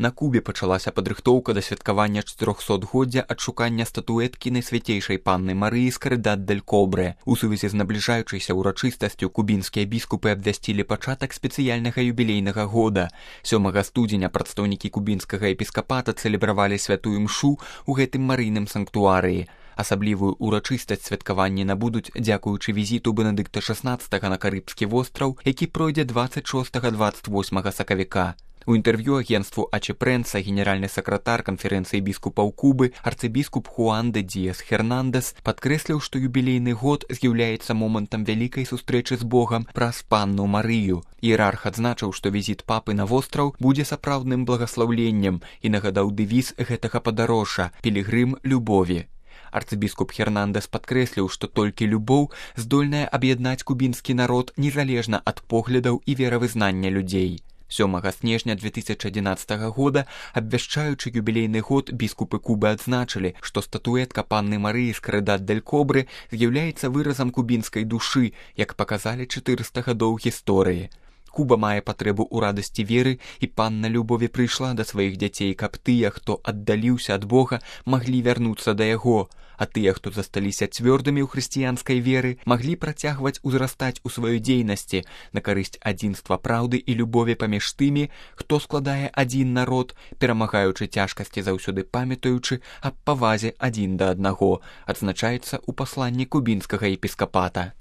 На Кубе пачалася падрыхтоўка да святкавання 400-годдзя адшукання статуэткі найсвяцейшай панны Марыі з Карыдат-дель-Кобрэ. У сувязі з набліжаючайся ўрачыстасцю кубінскія біскупы абвясцілі пачатак спецыяльнага юбілейнага года. 7 студзеня прадстаўнікі кубінскага епіскапата цэлебравалі святую мшу ў гэтым марыйным санктуарыі. Асаблівую ўрачыстасць святкаванні набудуць дзякуючы візіту Бенедыкта XVI на Карыбскі востраў, які пройдзе 26-28 сакавіка. У інтэрв'ю агенству АЧ-Прэнса генеральны сакратар канферэнцыі біскупаў Кубы арцыбіскуп Хуан де Диас Хернандес падкрэсліў, што юбілейны год з'яўляецца момантам вялікай сустрэчы з Богам праз панну Марыю. Іерарх адзначыў, што візіт папы на востраў будзе сапраўдным благаслаўленнем і нагадаў дэвіз гэтага падарожжа «Пілігрым любові». Арцыбіскуп Хернандес падкрэсліў, што толькі любоў здольная аб'яднаць кубінскі народ незалежна ад поглядаў і веравызнання людзей. 7 снежня 2011 года, абвяшчаючы юбілейны год, біскупы Кубы адзначылі, што статуэтка панны Марыі з Карыдат-дель-Кобрэ з'яўляецца выразам кубінскай душы, як паказалі 400 гадоў гісторыі. Куба мае патрэбу ў радасці веры, і панна любові прыйшла да сваіх дзяцей, каб тыя, хто аддаліўся ад Бога, маглі вярнуцца да яго, а тыя, хто засталіся цвёрдымі ў хрысціянскай веры, маглі працягваць узрастаць у сваёй дзейнасці на карысць адзінства праўды і любові паміж тымі, хто складае адзін народ, перамагаючы цяжкасці заўсёды памятаючы аб павазе адзін да аднаго, адзначаецца ў пасланні кубінскага епіскапата.